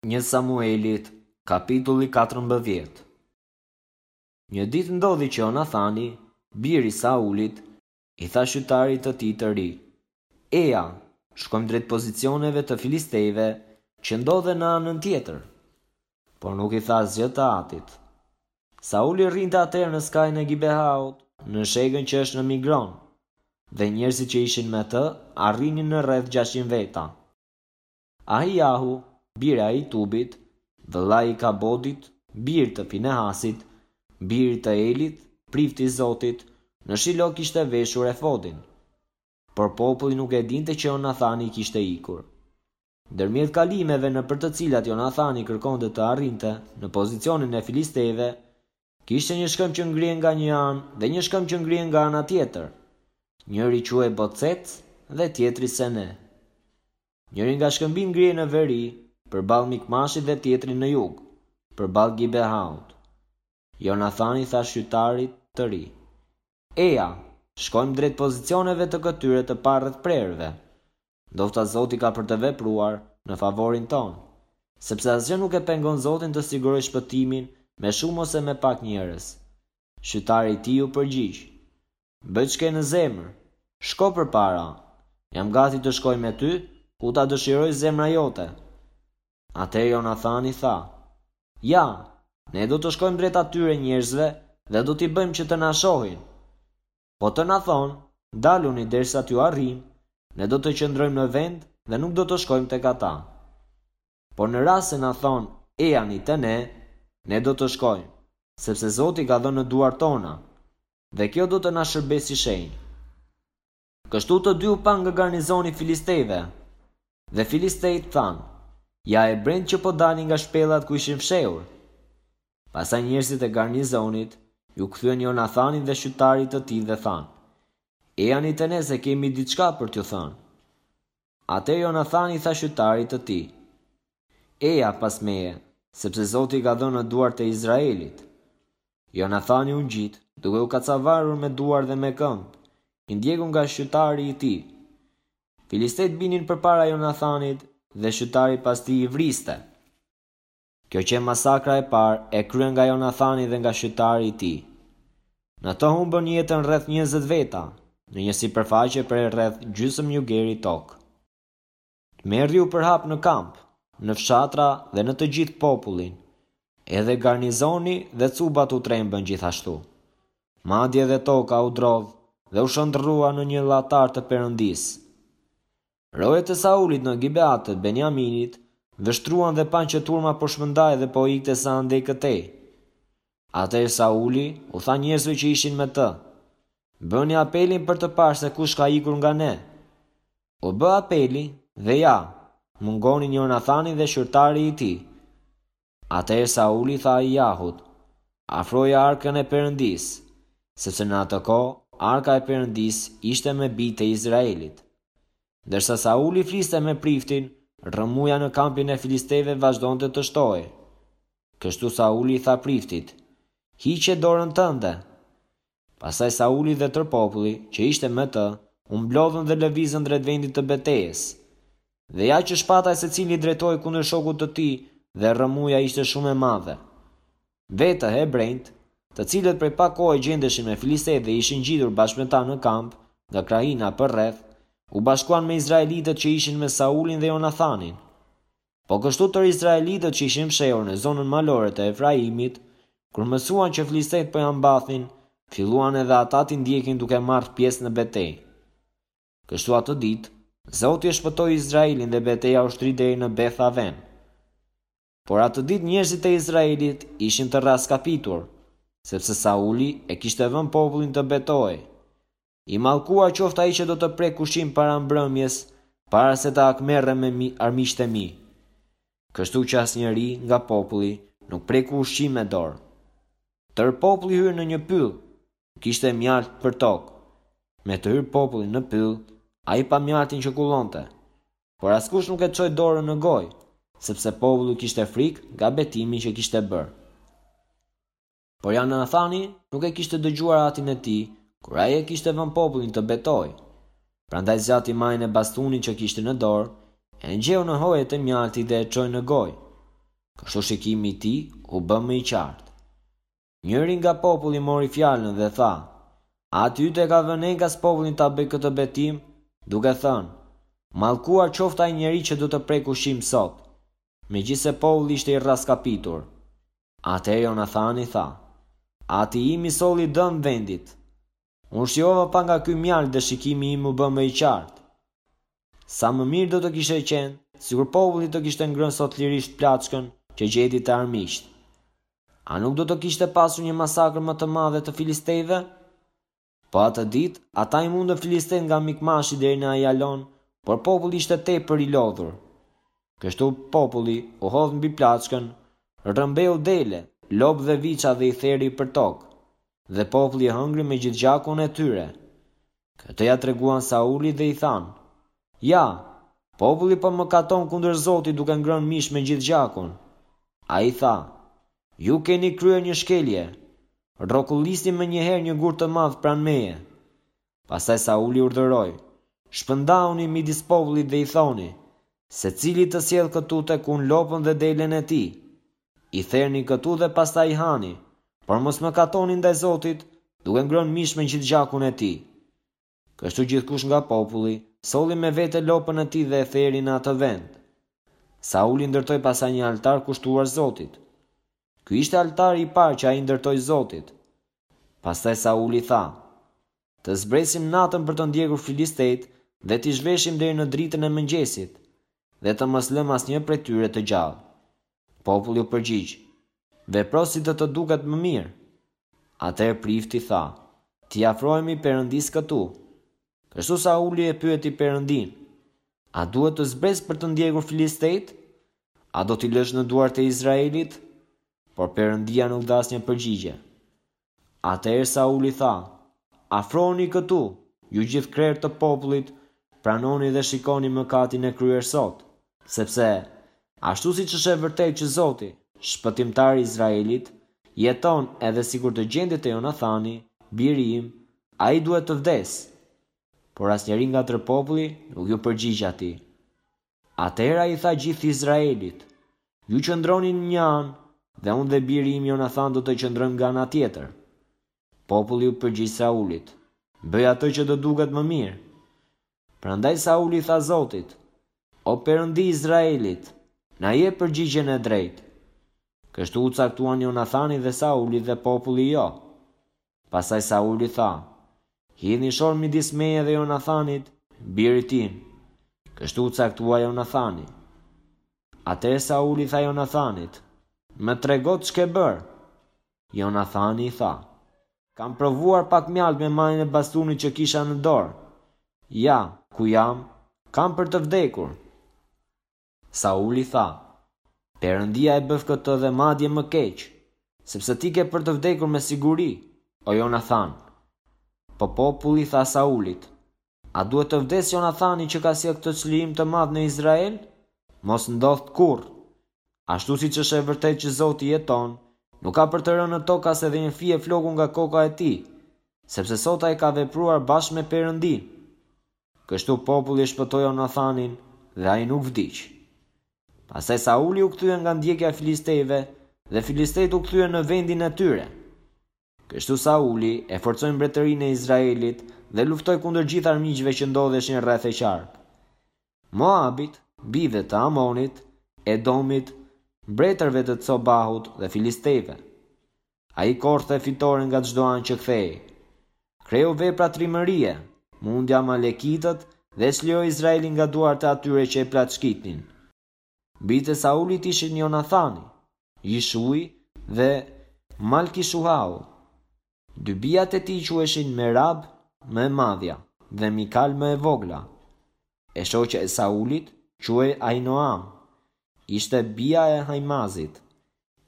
Një Samuelit, kapitulli 14. Një ditë ndodhi që Jonathani, biri i Saulit, i tha shqytarit të tij të ri, Eja, shkojmë drejt pozicioneve të filistejve që ndodhen në anën tjetër. Por nuk i tha asgjë të atit. Sauli rrinte atëherë në skajin e Gibeahut, në shegën që është në Migron, dhe njerëzit që ishin me të arrinin në rreth 600 veta. Ahijahu, bir i Ahitubit, vëllai i Ikabodit, bir të Finehasit, birit të Elit, prift i Zotit, në Shilo kishte veshur efodin. Por populli nuk e dinte që Jonathani kishte ikur. Ndërmjet kalimeve nëpër të cilat Jonathani kërkonte të arrinte në pozicionin e filistejve, kishte një shkëmb që ngrihej nga një anë dhe një shkëmb që ngrihej nga ana tjetër. Njëri quhej Bocec dhe tjetri Sene. Njëri nga shkëmbinjtë ngrihej në veri, përballë Mikmashit dhe tjetri në jug, përballë Gibeahut. Jonathani i tha shqytarit të ri, Eja, shkojmë drejt pozicioneve të këtyre të parrethprerëve. Ndofta Zoti ka për të vepruar në favorin tonë, sepse asgjë nuk e pengon Zotin të sigurojë shpëtimin me shumë ose me pak njerëz. Shqytari i tij iu përgjigj, Bëj ç'ke në zemër. Shko përpara. Jam gati të shkoj me ty, ku ta dëshirojë zemra jote. Atëherë Jonathani tha, Ja, ne do të shkojmë drejt atyre njerëzve dhe do t'i bëjmë që të na shohin. Po të na thonë, ndaluni derisa t'ju arrijmë, ne do të qëndrojmë në vend dhe nuk do të shkojmë tek ata. Por në rast se na thonë, ejani te ne, ne do të shkojmë, sepse Zoti i ka dhënë në duart tona. Dhe kjo do të na shërbejë si shenjë. Kështu të dy u panë nga garnizoni i filistejve. Dhe filistejtë thanë, Ja hebrenjtë që po dalin nga shpellat ku ishin fshehur. Pastaj njerëzit e garnizonit iu kthyen Jonathanit dhe shqytarit të tij dhe thanë, Ejani te ne se kemi diçka për t'ju thënë. Atëherë Jonathani i tha shqytarit të tij, Eja pas meje, sepse Zoti i ka dhënë në duart e Izraelit. Jonathani u ngjit, duke u kacavarur me duar dhe me këmbë, i ndjekur nga shqytari i tij. Filistejtë binin përpara Jonathanit dhe shqytari pas tij i vriste. Kjo qe masakra e parë e kryer nga Jonathani dhe nga shqytari i tij. Në të humbën jetën rreth 20 veta, në një sipërfaqe prej rreth gjysmë jugeri tokë. Tmerri u përhap në kamp, në fshatra dhe në të gjithë popullin. Edhe garnizoni dhe cubat u trembën gjithashtu. Madje edhe toka u drodh dhe u shndërrua në një llatar të Perëndisë. Rojet e Saulit në Gibea të Benjaminit vështruan dhe panë që turma po shpërndahej dhe po ikte sa andej këtej. Atëherë Sauli u tha njerëzve që ishin me të, Bëni apelin për të parë se kush ka ikur nga ne. U bë apeli dhe ja, mungonin Jonathani dhe shqytari i tij. Atëherë Sauli i tha Ahijahut, Afroje arkën e Perëndisë, sepse në atë kohë arka e Perëndisë ishte me bijtë e Izraelit. Ndërsa Sauli fliste me priftin, rrëmuja në kampin e filistejve vazhdonte të shtohej. Kështu Sauli i tha priftit, Hiqe dorën tënde! Pastaj Sauli dhe tërë populli, që ishte me të, u mblodhën dhe lëvizën drejt vendit të betejës. Dhe ja që shpata e secilit drejtohej kundër shokut të tij dhe rrëmuja ishte shumë e madhe. Vetë hebrenjtë, të cilët prej pak kohe gjendeshin me filistejtë dhe ishin ngjitur bashkë me ta në kamp nga krahina përreth, u bashkuan me izraelitët që ishin me Saulin dhe Jonathanin. Po kështu tërë izraelitët që ishin fshehur në zonën malore të Efraimit, kur mësuan që filistejtë po ia mbathnin, filluan edhe ata t'i ndjekin duke marrë pjesë në betejë. Kështu atë ditë, Zoti e shpëtoi Izraelin dhe beteja u shtri deri në Beth Aven. Por atë ditë njerëzit e Izraelit ishin të rraskapitur, sepse Sauli e kishte vënë popullin të betohej. I mallkuar qoftë ai që do të prekë ushqim para mbrëmjes, para se të hakmerrem me armiqtë e mi. Kështu që asnjëri nga populli nuk preku ushqim me dorë. Tërë populli hyri në një pyll, kishte mjaltë përtokë. Me të hyrë populli në pyll, ai pa mjaltin që kullonte. Por askush nuk e çoi dorën në gojë, sepse populli kishte frikë nga betimi që kishte bërë. Por Jonathani nuk e kishte dëgjuar atin e tij, kur ai e kishte vënë popullin të betohej. Prandaj zgjati majën e bastunit që kishte në dorë, e ngjeu në hojet e mjaltit dhe e çoi në gojë. Kështu shikimi i tij u bë më i qartë. Njëri nga populli mori fjalën dhe tha, Ati yt e ka vënë enkas popullin ta bëjë këtë betim, duke thënë, Mallkuar qoftë ai njeri që do të prekë ushqim sot. Megjithëse populli ishte i rraskapitur. Atëherë Jonathani tha, Ati im i solli dëm vendit. Unë shijova pak nga ky mjaltë dhe shikimi im u bë më i qartë. Sa më mirë do të kishte qenë, sikur populli të kishte ngrënë sot lirisht plaçkën që gjeti te armiqtë. A nuk do të kishte pasur një masakër më të madhe të filistejve? Po atë ditë, ata i mundën filistejtë nga Mikmashi deri në Ajalon, por populli ishte tepër i lodhur. Kështu populli u hodh mbi plaçkën, rrëmbeu dele, lopë dhe viça dhe i theri përtokë. Dhe populli e hëngri me gjithë gjakun e tyre. Këtë ia treguan Saulit dhe i thanë, Ja, populli po mëkaton kundër Zotit duke ngrënë mish me gjithë gjakun. Ai tha, Ju keni kryer një shkelje. Rrokullisni menjëherë një gur të madh pranë meje. Pastaj Sauli urdhëroi, Shpërndahuni midis popullit dhe i thoni, Secili të sjellë këtu tek unë lopën dhe delen e tij. I therni këtu dhe pastaj i hani, por mos mëkatoni ndaj Zotit, duke ngrënë mish me gjithë gjakun e tij. Kështu gjithkush nga populli solli me vete lopën e tij dhe e theri në atë vend. Sauli ndërtoi pastaj një altar kushtuar Zotit. Ky ishte altari i parë që ai ndërtoi Zotit. Pastaj Sauli tha, Të zbresim natën për të ndjekur filistejtë dhe t'i zhveshim deri në dritën e mëngjesit, dhe të mos lëmë asnjë prej tyre të gjallë. Populli u përgjigj, Vepro si të të duket më mirë. Atëherë prifti tha, T'i afrohemi Perëndisë këtu. Kështu Sauli e pyeti Perëndinë, A duhet të zbres për të ndjekur filistejtë? A do t'i lësh në duart e Izraelit? Por Perëndia nuk dha asnjë përgjigje. Atëherë Sauli tha, Afrohuni këtu, ju gjithë krerë të popullit, pranoni dhe shikoni mëkatin e kryer sot, sepse, ashtu siç është e vërtetë që Zoti, Shpëtimtari i Izraelit, jeton edhe sikur të gjendej te Jonathani, biri im, ai duhet të vdesë. Por asnjeri nga tërë populli nuk iu përgjigj atij. Atëherë ai i tha gjithë Izraelit, Ju qëndroni në një anë, dhe unë dhe biri im Jonathan do të qëndrojmë nga ana tjetër. Populli iu përgjigj Saulit, Bëj atë që të duket më mirë. Prandaj Sauli i tha Zotit, O Perëndi i Izraelit, na jep përgjigjen e drejtë. Kështu u caktuan Jonathani dhe Sauli dhe populli jo. Pastaj Sauli tha, Hidhni shor midis meje dhe Jonathanit, birit tim. Kështu u caktua Jonathani. Atëherë Sauli i tha Jonathanit, Më trego ç'ke bërë. Jonathani i tha, Kam provuar pak mjaltë me majën e bastunit që kisha në dorë. Ja, ku jam, kam për të vdekur. Sauli tha, Perëndia e bëftë këtë dhe madje më keq, sepse ti ke për të vdekur me siguri, o Jonathan. Po populli i tha Saulit, A duhet të vdesë Jonathani që ka sjellë këtë çlirim të madh në Izrael? Mos ndodhtë kurrë! Ashtu siç është e vërtetë që Zoti jeton, nuk ka për të rënë në tokë as edhe një fije floku nga koka e tij, sepse sot ai ka vepruar bashkë me Perëndinë. Kështu populli e shpëtoi Jonathanin dhe ai nuk vdiq. Pastaj Sauli u kthye nga ndjekja e filistejve dhe filistejtë u kthyen në vendin e tyre. Kështu Sauli e forcoi mbretërinë e Izraelit dhe luftoi kundër gjithë armiqve që ndodheshin rreth e qark. Moabit, bijve të Amonit, Edomit, mbretërve të Cobahut dhe filistejve. Ai korrte fitore nga çdo anë që kthehej. Kreu vepra trimërie, mundi amalekitët dhe e çliroi Izraelin nga duart e atyre që e plaçkitnin. Bijtë e Saulit ishin Jonathani, Jishui dhe Malkishuau. Dy bijat e tij quheshin Merab, më e madhja, dhe Mikal më e vogla. E shoqja e Saulit quhej Ahinoam, ishte bija e Ahimazit.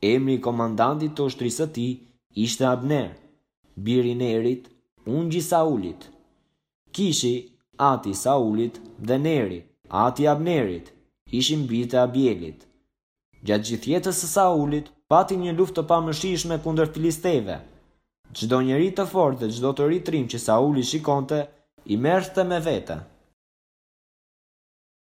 Emri i komandantit të ushtrisë së tij ishte Abner, biri i Nerit, ungj i Saulit. Kishi, ati i Saulit, dhe Neri, ati i Abnerit, ishin bijtë e Abielit. Gjatë gjithë jetës së Saulit, pati një luftë të pamëshirshme kundër filistejve. Çdo njeri të fortë dhe çdo të ri trim që Sauli shikonte, i merrte me vete.